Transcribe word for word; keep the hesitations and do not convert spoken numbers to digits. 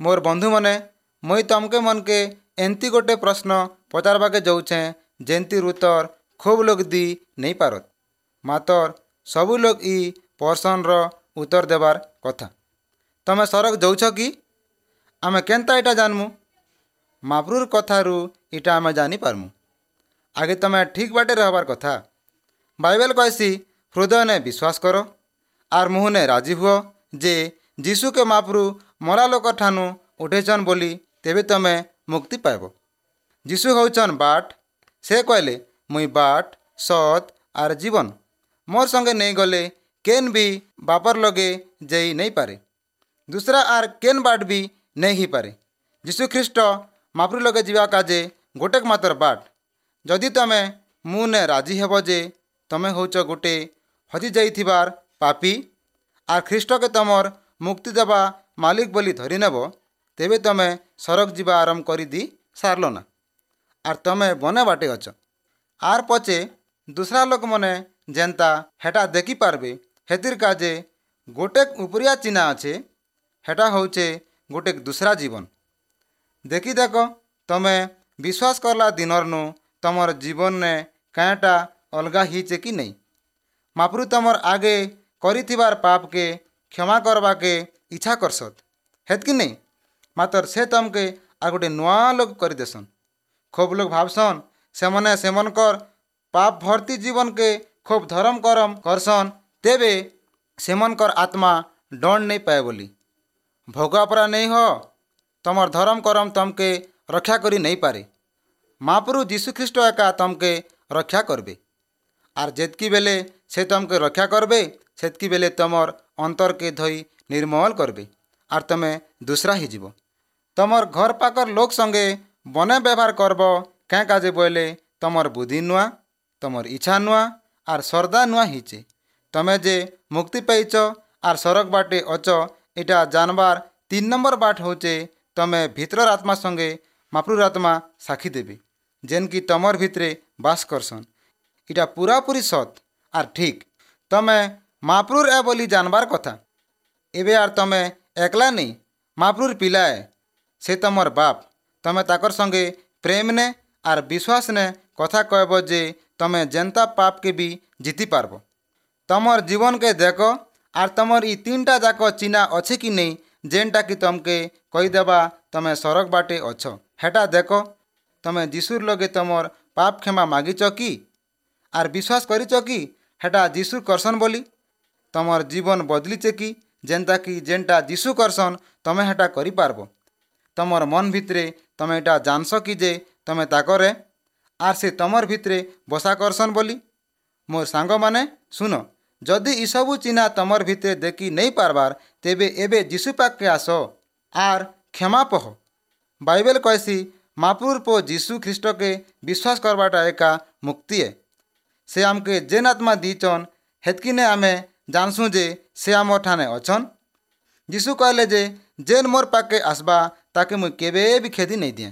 ମୋର୍ ବନ୍ଧୁମାନେ, ମୁଇଁ ତମ୍କେ ମନ୍କେ ଏନ୍ତି ଗୋଟେ ପ୍ରଶ୍ନ ପଚାରବାକେ ଯାଉଛେଁ, ଯେନ୍ତିର୍ ଉତ୍ତର ଖୋବ୍ ଲୋକ୍ ଦି ନେଇ ପାରତ୍, ମାତର୍ ସବୁ ଲୋକ୍ ଇ ପ୍ରଶ୍ନର ଉତ୍ତର ଦେବାର୍ କଥା। ତମେ ସରଗ ଯାଉଛ କି? ଆମେ କେନ୍ତା ଇଟା ଜାନ୍ମୁ? ମାପ୍ରୁର୍ କଥାରୁ ଇଟା ଆମେ ଜାନିପାର୍ମୁ। ଆଗେ ତମେ ଠିକ୍ ବାଟେ ରହେବାର୍ କଥା। ବାଇବେଲ୍ କହେସି, ହୃଦୟନେ ବିଶ୍ୱାସ କର ଆର୍ ମୁହୁଁନେ ରାଜି ହୁଅ ଯେ ଯୀଶୁକେ ମାପ୍ରୁ ମରା ଲୋକର୍ ଠାନୁ ଉଠେଇଛନ୍ ବୋଲି, ତେବେ ତମେ ମୁକ୍ତି ପାଇବ। ଯୀଶୁ ହଉଛନ୍ ବାଟ୍। ସେ କହିଲେ, ମୁଇଁ ବାଟ୍, ସତ୍ ଆର୍ ଜୀବନ୍। ମୋର୍ ସଙ୍ଗେ ନେଇ ଗଲେ କେନ୍ ବି ବାପର୍ ଲଗେ ଯାଇ ନେଇପାରେ। ଦୁସ୍ରା ଆର୍ କେନ୍ ବାଟ୍ ବି ନେଇ ହେଇପାରେ। ଯୀଶୁ ଖ୍ରୀଷ୍ଟ ମାପ୍ରୁ ଲଗେ ଯିବା କାଜେ ଗୋଟେକ୍ ମାତର୍ ବାଟ୍। ଯଦି ତମେ ମୁଁ ନେ ରାଜି ହେବ ଯେ ତମେ ହଉଛ ଗୋଟେ ହଜି ଯାଇଥିବାର୍ ପାପୀ ଆର୍ ଖ୍ରୀଷ୍ଟକେ ତମର୍ ମୁକ୍ତି ଦେବା ମାଲିକ୍ ବୋଲି ଧରିନେବ, ତେବେ ତମେ ସରଗ ଯିବା ଆରମ୍ଭ କରିଦି ସାର୍ଲନା ଆର୍ ତମେ ବନେ ବାଟେ ଅଛ। ଆର୍ ପଛେ ଦୁସ୍ରା ଲୋକମାନେ ଯେନ୍ତା ହେଟା ଦେଖିପାର୍ବେ, ହେଥିର୍ କାଜେ ଗୋଟେକ୍ ଉପରିଆ ଚିହ୍ନା ଅଛେ, ହେଟା ହଉଛେ ଗୋଟେକ୍ ଦୁସ୍ରା ଜୀବନ୍। ଦେଖି ଦେଖ, ତମେ ବିଶ୍ୱାସ କଲା ଦିନର୍ନୁ ତମର୍ ଜୀବନ୍ନେ କାଏଁଟା ଅଲଗା ହେଇଛେ କି ନେଇ? ମାପ୍ରୁ ତମର୍ ଆଗେ କରିଥିବାର୍ ପାପ୍କେ କ୍ଷମା କର୍ବାକେ ଇଚ୍ଛା କର୍ସତ୍, ହେତ୍କି ନେଇ? ମାତର୍ ସେ ତମ୍କେ ଆର୍ ଗୋଟେ ନୂଆ ଲୋକ୍ କରିଦେସନ୍। ଖୋବ୍ ଲୋକ୍ ଭାବ୍ସନ୍ ସେମାନେ ସେମାନଙ୍କର୍ ପାପ୍ ଭର୍ତ୍ତି ଜୀବନ୍କେ ଖୋବ୍ ଧରମ୍ କରମ୍ କର୍ସନ୍, ତେବେ ସେମାନଙ୍କର୍ ଆତ୍ମା ଦଣ୍ଡ ନେଇ ପାଏ ବୋଲି। ଭଗୁଆ ପରା ନେଇ ହ, ତମର୍ ଧରମ୍ କରମ୍ ତମ୍କେ ରକ୍ଷା କରି ନେଇପାରେ। ମାପ୍ରୁ ଯୀଶୁ ଖ୍ରୀଷ୍ଟ ଏକା ତମ୍କେ ରକ୍ଷା କର୍ବେ। ଆର୍ ଯେତ୍କି ବେଲେ ସେ ତମ୍କେ ରକ୍ଷା କର୍ବେ, ସେତ୍କି ବେଲେ ତମର୍ ଅନ୍ତର୍କେ ଧୋଇ ନିର୍ମଲ୍ କର୍ବେ ଆର୍ ତମେ ଦୁସ୍ରା ହେଇଯିବ। ତମର୍ ଘର୍ ପାଖର୍ ଲୋକ୍ ସଙ୍ଗେ ବନେ ବ୍ୟବହାର୍ କର୍ବ। କାଁ କାଜେ ବଏଲେ ତମର୍ ବୁଦ୍ଧି ନୂଆ, ତମର୍ ଇଚ୍ଛା ନୂଆ ଆର୍ ଶ୍ରଦ୍ଧା ନୂଆ ହେଇଛେ। ତମେ ଯେ ମୁକ୍ତି ପାଇଛ ଆର୍ ସରଗ ବାଟେ ଅଛ, ଇଟା ଜାନ୍ବାର୍ ତିନ୍ ନମ୍ବର୍ ବାଟ୍ ହଉଛେ, ତମେ ଭିତରର୍ ଆତ୍ମା ସଙ୍ଗେ ମାପ୍ରୁର୍ ଆତ୍ମା ସାକ୍ଷୀ ଦେବେ, ଯେନ୍କି ତମର୍ ଭିତ୍ରେ ବାସ୍ କର୍ସନ୍। ଇଟା ପୁରାପୁରି ସତ୍ ଆର୍ ଠିକ୍। ତମେ ମାପ୍ରୁର୍ ଏ ବୋଲି ଜାନ୍ବାର୍ କଥା। ଏବେ ଆର୍ ତମେ ଏକ୍ଲା ନେଇ, ମାପ୍ରୁର୍ ପିଲା ଏ। ସେ ତମର୍ ବାପ୍। ତମେ ତାକର୍ ସଙ୍ଗେ ପ୍ରେମ୍ନେ ଆର୍ ବିଶ୍ୱାସ୍ନେ କଥା କହେବ ଯେ ତମେ ଯେନ୍ତା ପାପ୍କେ ବି ଜିତି ପାର୍ବ। ତମର୍ ଜୀବନ୍କେ ଦେଖ ଆର୍ ତମର୍ ଇ ତିନ୍ଟା ଯାକ ଚିହ୍ନା ଅଛେ କି ନେଇ, ଯେନ୍ଟା କି ତମ୍କେ କହିଦେବା ତମେ ସରଗ ବାଟେ ଅଛ, ହେଟା ଦେଖ। ତମେ ଯୀଶୁର୍ ଲଗେ ତମର୍ ପାପ୍ କ୍ଷମା ମାଗିଛ କି ଆର୍ ବିଶ୍ୱାସ କରିଛ କି ହେଟା ଯୀଶୁ କର୍ସନ୍ ବୋଲି? ତମର୍ ଜୀବନ୍ ବଦ୍ଲିଛେ କି, ଯେନ୍ତା କି ଯେନ୍ଟା ଯୀଶୁ କର୍ସନ୍ ତମେ ହେଟା କରିପାର୍ବ? ତମର୍ ମନ୍ ଭିତ୍ରେ ତମେ ଇଟା ଜାନ୍ସ କି ଯେ ତମେ ତାକର୍ ଏ ଆର୍ ସେ ତମର୍ ଭିତ୍ରେ ବସା କର୍ସନ୍ ବୋଲି? ମୋର୍ ସାଙ୍ଗମାନେ ଶୁନ, ଯଦି ଇସବୁ ଚିହ୍ନା ତମର୍ ଭିତ୍ରେ ଦେଖି ନେଇ ପାର୍ବାର୍, ତେବେ ଏବେ ଯୀଶୁ ପାଖ୍କେ ଆସ ଆର୍ କ୍ଷମା ପହ। ବାଇବେଲ୍ କହେସି, ମାପ୍ରୁର୍ ପୁଅ ଯୀଶୁ ଖ୍ରୀଷ୍ଟକେ ବିଶ୍ୱାସ କର୍ବାଟା ଏକା ମୁକ୍ତି ଏ। ସେ ଆମ୍କେ ଯେନ୍ ଆତ୍ମା ଦେଇଛନ୍, ହେତ୍କିନେ ଆମେ ଜାନ୍ସୁଁ ଯେ ସେ ଆମର୍ ଠାନେ ଅଛନ୍। ଯୀଶୁ କହେଲେ ଯେ ଯେନ୍ ମୋର୍ ପାଖ୍କେ ଆସ୍ବା, ତାକେ ମୁଇଁ କେବେ ବି ଖେଦି ନେଇ ଦିଏଁ।